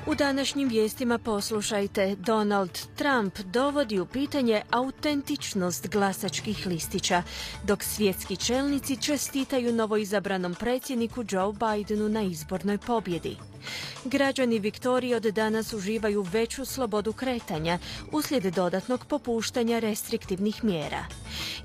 U današnjim vijestima poslušajte, Donald Trump dovodi u pitanje autentičnost glasačkih listića, dok svjetski čelnici čestitaju novoizabranom predsjedniku Joe Bidenu na izbornoj pobjedi. Građani Viktorije od danas uživaju veću slobodu kretanja uslijed dodatnog popuštanja restriktivnih mjera.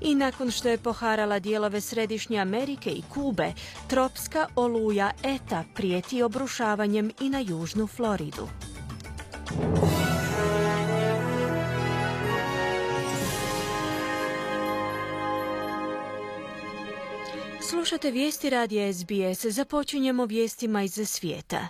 I nakon što je poharala dijelove Središnje Amerike i Kube, tropska oluja Eta prijeti obrušavanjem i na južnu Floridu. Slušate vijesti radija SBS. Započinjemo vijestima iz svijeta.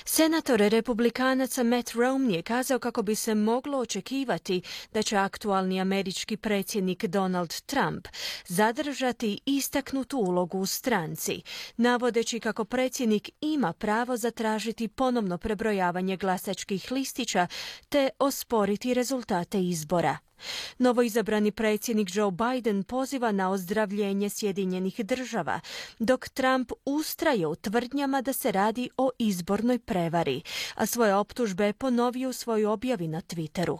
Senator republikanaca Matt Romney je kazao kako bi se moglo očekivati da će aktualni američki predsjednik Donald Trump zadržati istaknutu ulogu u stranci, navodeći kako predsjednik ima pravo zatražiti ponovno prebrojavanje glasačkih listića te osporiti rezultate izbora. Novoizabrani predsjednik Joe Biden poziva na ozdravljenje Sjedinjenih Država, dok Trump ustraje u tvrdnjama da se radi o izbornoj prevari, a svoje optužbe ponovio u svojoj objavi na Twitteru.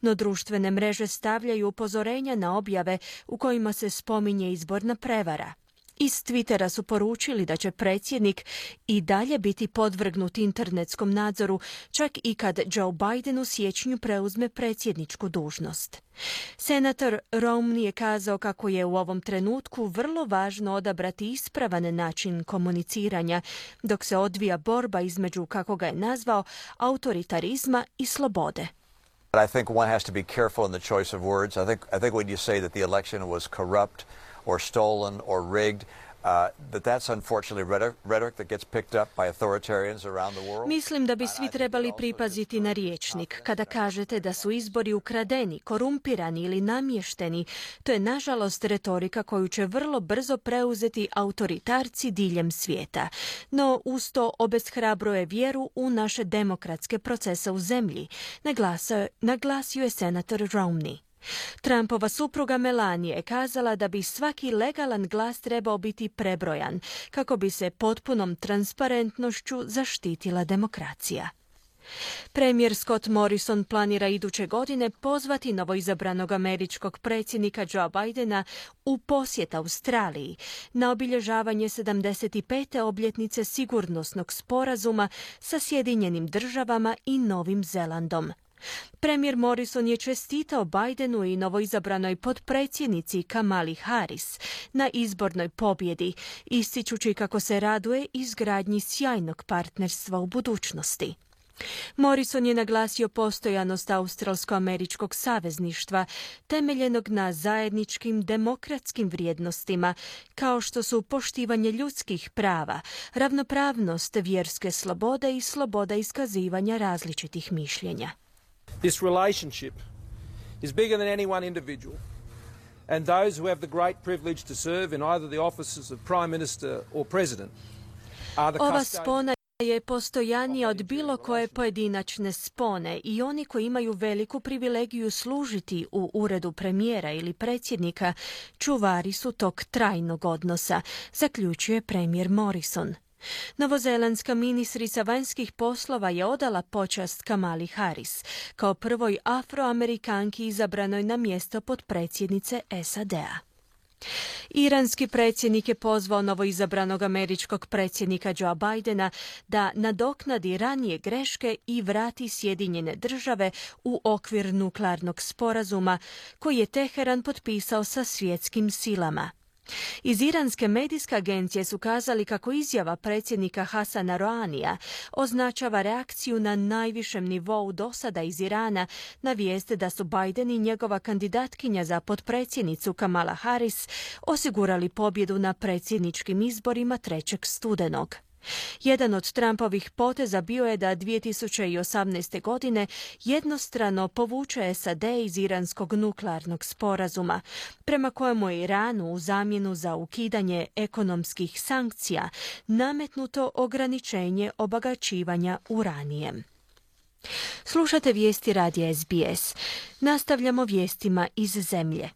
No društvene mreže stavljaju upozorenja na objave u kojima se spominje izborna prevara. Iz Twittera su poručili da će predsjednik i dalje biti podvrgnut internetskom nadzoru, čak i kad Joe Biden u siječnju preuzme predsjedničku dužnost. Senator Romney je kazao kako je u ovom trenutku vrlo važno odabrati ispravan način komuniciranja, dok se odvija borba između, kako ga je nazvao, autoritarizma i slobode. I think one has to be careful in the choice of words. I think when you say that the election was corrupt or stolen or rigged, that's unfortunately rhetoric that gets picked up by authoritarians around the world. Mislim da bi svi trebali pripaziti na rječnik. Kada kažete da su izbori ukradeni, korumpirani ili namješteni, to je nažalost retorika koju će vrlo brzo preuzeti autoritarci diljem svijeta. No uz to obeshrabruje vjeru u naše demokratske procese u zemlji, naglasio je senator Romney. Trumpova supruga Melania je kazala da bi svaki legalan glas trebao biti prebrojan kako bi se potpunom transparentnošću zaštitila demokracija. Premijer Scott Morrison planira iduće godine pozvati novoizabranog američkog predsjednika Joe Bidena u posjet Australiji na obilježavanje 75. obljetnice sigurnosnog sporazuma sa Sjedinjenim Državama i Novim Zelandom. Premijer Morrison je čestitao Bidenu i novoizabranoj potpredsjednici Kamali Harris na izbornoj pobjedi, ističući kako se raduje izgradnji sjajnog partnerstva u budućnosti. Morrison je naglasio postojanost australsko-američkog savezništva temeljenog na zajedničkim demokratskim vrijednostima kao što su poštivanje ljudskih prava, ravnopravnost, vjerske slobode i sloboda iskazivanja različitih mišljenja. This relationship is bigger than any one individual, and those who have the great privilege to serve in either the offices of Prime Minister or President are the Ova spona je postojanija od bilo koje pojedinačne spone i oni koji imaju veliku privilegiju služiti u uredu premijera ili predsjednika čuvari su tog trajnog odnosa, zaključuje premijer Morrison. Novozelandska ministrica vanjskih poslova je odala počast Kamali Harris kao prvoj afroamerikanki izabranoj na mjesto potpredsjednice SAD-a. Iranski predsjednik je pozvao novoizabranog američkog predsjednika Joe Bidena da nadoknadi ranije greške i vrati Sjedinjene Države u okvir nuklearnog sporazuma koji je Teheran potpisao sa svjetskim silama. Iz iranske medijske agencije su kazali kako izjava predsjednika Hasana Rouhanija označava reakciju na najvišem nivou dosada iz Irana na vijest da su Biden i njegova kandidatkinja za potpredsjednicu Kamala Harris osigurali pobjedu na predsjedničkim izborima 3. studenog. Jedan od Trumpovih poteza bio je da 2018. godine jednostrano povuče SAD iz iranskog nuklearnog sporazuma, prema kojemu je Iranu u zamjenu za ukidanje ekonomskih sankcija nametnuto ograničenje obagaćivanja uranijem. Slušate vijesti radija SBS. Nastavljamo vijestima iz zemlje.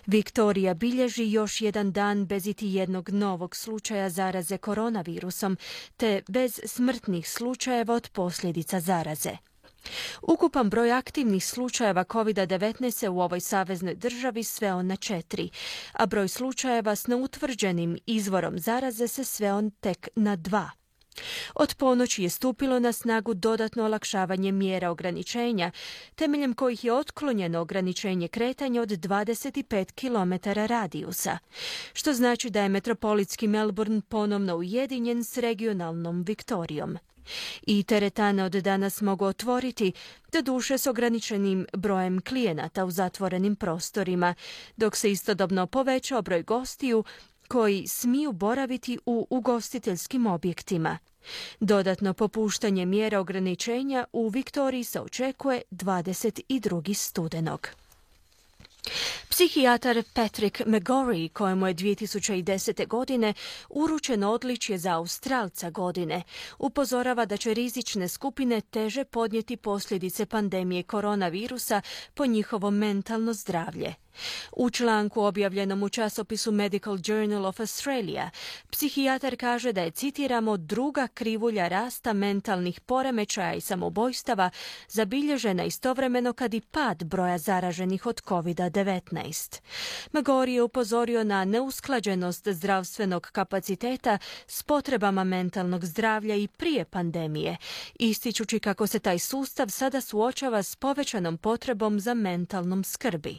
Viktorija bilježi još jedan dan bez iti jednog novog slučaja zaraze koronavirusom, te bez smrtnih slučajeva od posljedica zaraze. Ukupan broj aktivnih slučajeva COVID-19 u ovoj saveznoj državi sveo na 4, a broj slučajeva s neutvrđenim izvorom zaraze se sveo tek na 2. Od ponoći je stupilo na snagu dodatno olakšavanje mjera ograničenja, temeljem kojih je otklonjeno ograničenje kretanja od 25 km radijusa, što znači da je metropolitski Melbourne ponovno ujedinjen s regionalnom Viktorijom. I teretane od danas mogu otvoriti, doduše s ograničenim brojem klijenata u zatvorenim prostorima, dok se istodobno povećao broj gostiju koji smiju boraviti u ugostiteljskim objektima. Dodatno popuštanje mjera ograničenja u Viktoriji se očekuje 22. studenog. Psihijatar Patrick McGorry, kojemu je 2010. godine uručeno odličje za Australca godine, upozorava da će rizične skupine teže podnijeti posljedice pandemije koronavirusa po njihovo mentalno zdravlje. U članku objavljenom u časopisu Medical Journal of Australia, psihijatar kaže da je, citiramo, druga krivulja rasta mentalnih poremećaja i samoubojstava zabilježena istovremeno kad i pad broja zaraženih od COVID-19. McGorry je upozorio na neusklađenost zdravstvenog kapaciteta s potrebama mentalnog zdravlja i prije pandemije, ističući kako se taj sustav sada suočava s povećanom potrebom za mentalnom skrbi.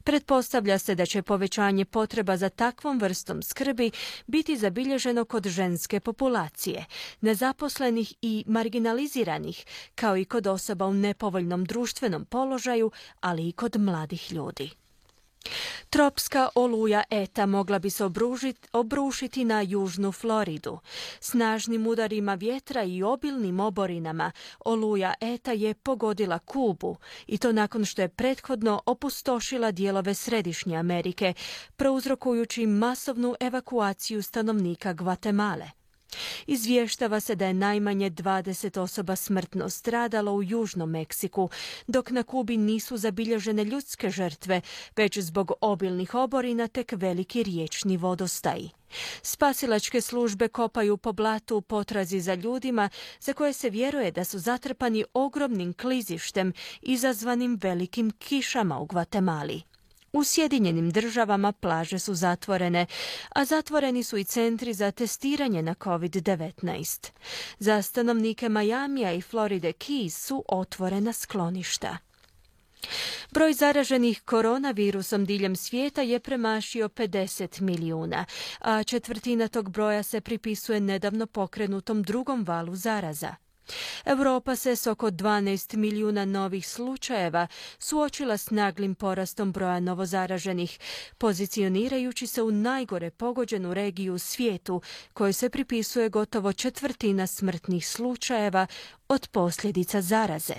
Pretpostavlja se da će povećanje potreba za takvom vrstom skrbi biti zabilježeno kod ženske populacije, nezaposlenih i marginaliziranih, kao i kod osoba u nepovoljnom društvenom položaju, ali i kod mladih ljudi. Tropska oluja Eta mogla bi se obrušiti na južnu Floridu. Snažnim udarima vjetra i obilnim oborinama oluja Eta je pogodila Kubu, i to nakon što je prethodno opustošila dijelove Središnje Amerike, prouzrokujući masovnu evakuaciju stanovnika Gvatemale. Izvještava se da je najmanje 20 osoba smrtno stradalo u Južnom Meksiku, dok na Kubi nisu zabilježene ljudske žrtve, već zbog obilnih oborina tek veliki riječni vodostaji. Spasilačke službe kopaju po blatu u potrazi za ljudima za koje se vjeruje da su zatrpani ogromnim klizištem izazvanim velikim kišama u Gvatemali. U Sjedinjenim Državama plaže su zatvorene, a zatvoreni su i centri za testiranje na COVID-19. Za stanovnike Majamija i Floride Keys su otvorena skloništa. Broj zaraženih koronavirusom diljem svijeta je premašio 50 milijuna, a četvrtina tog broja se pripisuje nedavno pokrenutom drugom valu zaraza. Europa se s oko 12 milijuna novih slučajeva suočila s naglim porastom broja novozaraženih, pozicionirajući se u najgore pogođenu regiju u svijetu, kojoj se pripisuje gotovo četvrtina smrtnih slučajeva od posljedica zaraze.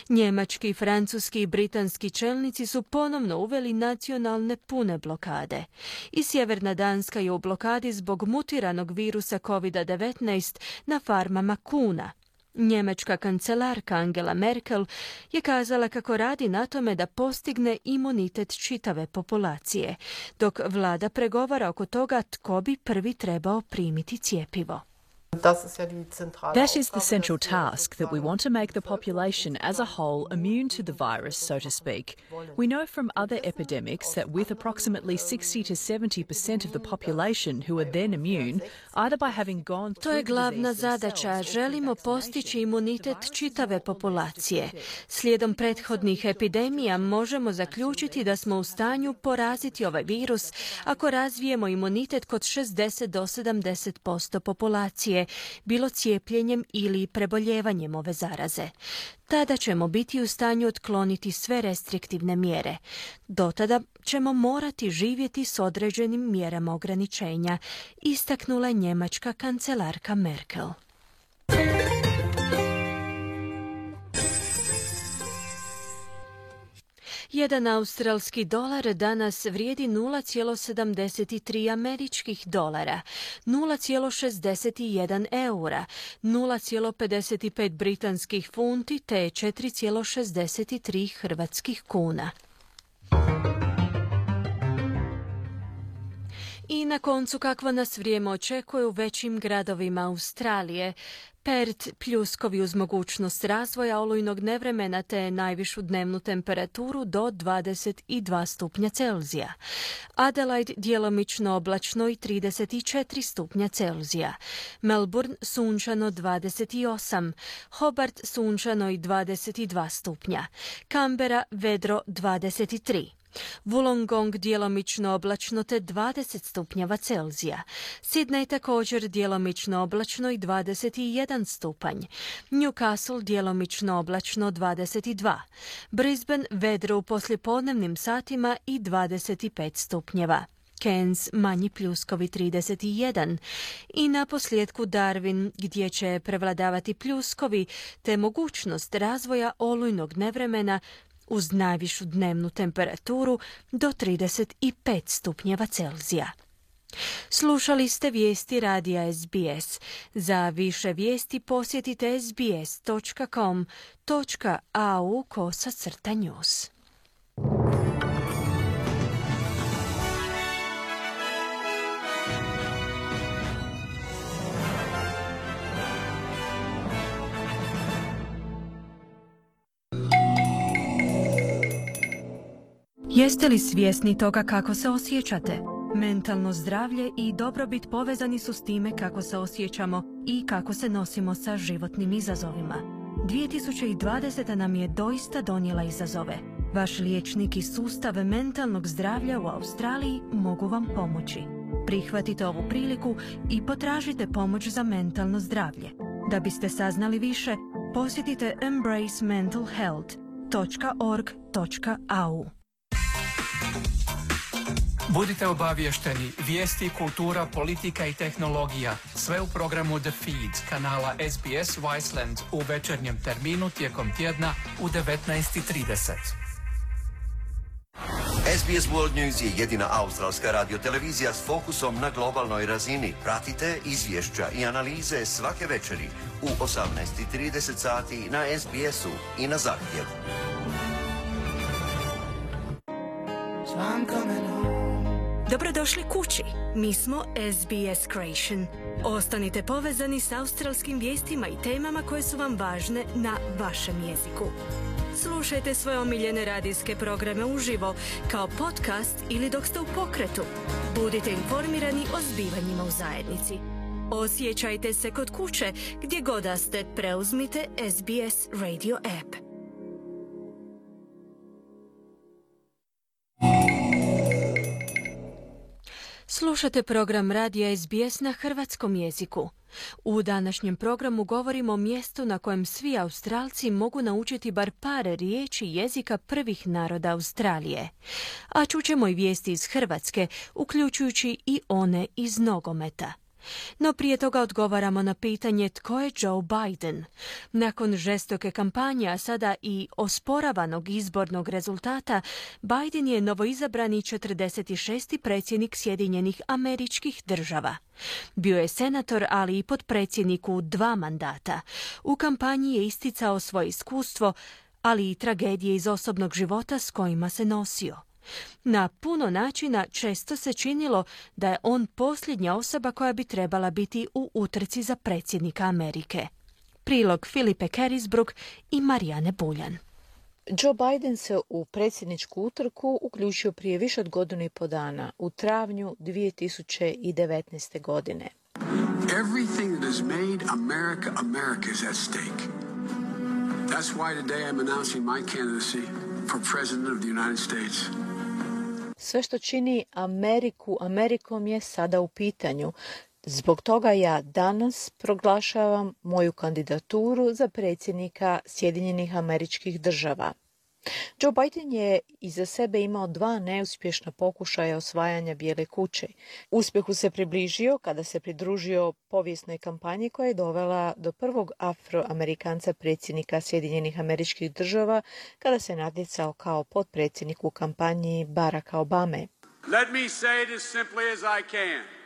Njemački, francuski i britanski čelnici su ponovno uveli nacionalne pune blokade. I Sjeverna Danska je u blokadi zbog mutiranog virusa COVID-19 na farmama kuna. Njemačka kancelarka Angela Merkel je kazala kako radi na tome da postigne imunitet čitave populacije, dok vlada pregovara oko toga tko bi prvi trebao primiti cjepivo. That is the central task, that we want to make the population as a whole immune to the virus, so to speak. We know from other epidemics that with approximately 60 to 70% of the population who are then immune, either by having gone through To je glavna the disease zadaća. themselves or Želimo through postići vaccination, imunitet čitave populacije. Slijedom prethodnih epidemija možemo zaključiti da smo u stanju poraziti ovaj virus ako razvijemo imunitet kod 60 do 70% populacije, bilo cijepljenjem ili preboljevanjem ove zaraze. Tada ćemo biti u stanju otkloniti sve restriktivne mjere. Do tada ćemo morati živjeti s određenim mjerama ograničenja, istaknula je njemačka kancelarka Merkel. Jedan australski dolar danas vrijedi 0,73 američkih dolara, 0,61 eura, 0,55 britanskih funti te 4,63 hrvatskih kuna. I na koncu kakvo nas vrijeme očekuje u većim gradovima Australije. Perth pljuskovi uz mogućnost razvoja olujnog nevremena te najvišu dnevnu temperaturu do 22 stupnja Celzija. Adelaide djelomično oblačno i 34 stupnja Celzija. Melbourne sunčano 28. Hobart sunčano i 22 stupnja. Canberra vedro 23. Wollongong djelomično oblačno te 20 stupnjeva Celzija. Sydney također djelomično oblačno i 21 stupanj. Newcastle djelomično oblačno 22. Brisbane vedro u poslijepodnevnim satima i 25 stupnjeva. Cairns manji pljuskovi 31 i na posljedku Darwin gdje će prevladavati pljuskovi te mogućnost razvoja olujnog nevremena uz najvišu dnevnu temperaturu do 35 stupnjeva Celzija. Slušali ste vijesti radija SBS. Za više vijesti posjetite sbs.com.au/news. Jeste li svjesni toga kako se osjećate? Mentalno zdravlje i dobrobit povezani su s time kako se osjećamo i kako se nosimo sa životnim izazovima. 2020. nam je doista donijela izazove. Vaš liječnik i sustav mentalnog zdravlja u Australiji mogu vam pomoći. Prihvatite ovu priliku i potražite pomoć za mentalno zdravlje. Da biste saznali više, posjetite embracementalhealth.org.au. Budite obaviješteni, vijesti, kultura, politika i tehnologija. Sve u programu The Feed kanala SBS Viceland u večernjem terminu tijekom tjedna u 19:30. SBS World News je jedina australska radiotelevizija s fokusom na globalnoj razini. Pratite izvješća i analize svake večeri u 18:30 sati na SBS-u i na zahtjev. Dobrodošli kući. Mi smo SBS Creation. Ostanite povezani s australskim vijestima i temama koje su vam važne na vašem jeziku. Slušajte svoje omiljene radijske programe uživo, kao podcast ili dok ste u pokretu. Budite informirani o zbivanjima u zajednici. Osjećajte se kod kuće, gdje god da ste, preuzmite SBS Radio app. Slušate program radija SBS na hrvatskom jeziku. U današnjem programu govorimo o mjestu na kojem svi Australci mogu naučiti bar par riječi jezika prvih naroda Australije. A čućemo i vijesti iz Hrvatske, uključujući i one iz nogometa. No prije toga odgovaramo na pitanje tko je Joe Biden. Nakon žestoke kampanje, a sada i osporavanog izbornog rezultata, Biden je novoizabrani 46. predsjednik Sjedinjenih Američkih Država. Bio je senator, ali i potpredsjednik u 2 mandata. U kampanji je isticao svoje iskustvo, ali i tragedije iz osobnog života s kojima se nosio. Na puno načina često se činilo da je on posljednja osoba koja bi trebala biti u utrci za predsjednika Amerike. Prilog Filipe Kerisbrook i Marijane Buljan. Joe Biden se u predsjedničku utrku uključio prije više od godinu i po dana, u travnju 2019. godine. Everything that has made America America is at stake. That's why today I'm announcing my candidacy for President of the United States. Sve što čini Ameriku Amerikom je sada u pitanju. Zbog toga ja danas proglašavam moju kandidaturu za predsjednika Sjedinjenih Američkih Država. Joe Biden je iza sebe imao 2 neuspješna pokušaja osvajanja Bijele kuće. Uspjehu se približio kada se pridružio povijesnoj kampanji koja je dovela do prvog afroamerikanca predsjednika Sjedinjenih Američkih Država kada se natjecao kao potpredsjednik u kampanji Baracka Obame. Let me say it as simply as I can.